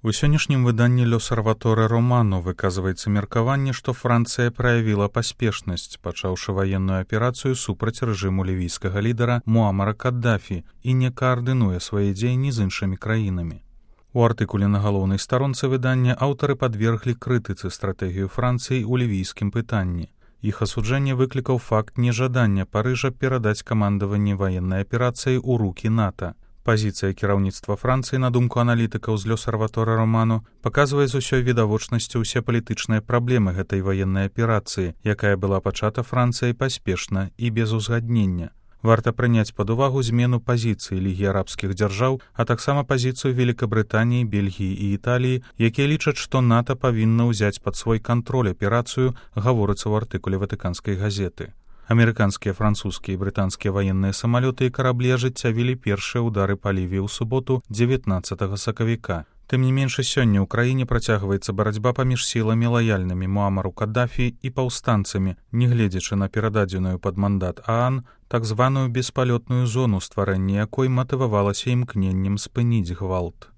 У сённяшнім выданні «L'Osservatore Romano» выказваецца меркаванне, што Францыя праявіла паспешнасць, пачаўшы ваенную аперацыю супраць рэжыму лівійскага лідара Муамара Каддафі і не каардынуе свае дзеянні з іншымі краінамі. У артыкуле на галоўнай старонцы выдання аўтары падверглі крытыцы стратэгію Францыі ў лівійскім пытанні. Іх асуджэнне выклікаў факт нежадання Парыжа перадаць камандаванне ваеннай аперацыі ў рукі НАТО. Пазіцыя кіраўніцтва Францыі, на думку аналітыкаў з «L'Osservatore Romano», паказвае з усёй відавочнасцю ўсе палітычныя праблемы гэтай ваеннай аперацыі, якая была пачата Францыяй паспешна і без узгаднення. Варта прыняць пад увагу змену пазіцыі Лігі арабскіх дзяржаў, а таксама пазіцыю Великабрытаніі, Бельгіі і Італіі, якія лічаць, што НАТО павінна ўзяць пад свой кантроль аперацыю, гаворыцца ў артыкуле ватыканскай газеты. Амерыканскія, французскія і брытанскія ваенныя самалёты і караблі ажыццявілі першыя ўдары па Лівіі ў суботу 19 сакавіка. Тым не менш, сёння ў краіне працягваецца барацьба паміж сіламі лаяльнымі Муамару Каддафі і паўстанцамі, нягледзячы на перададзеную пад мандат ААН так званую беспалётную зону, стварэнне якой матывавалася імкненнем спыніць гвалт.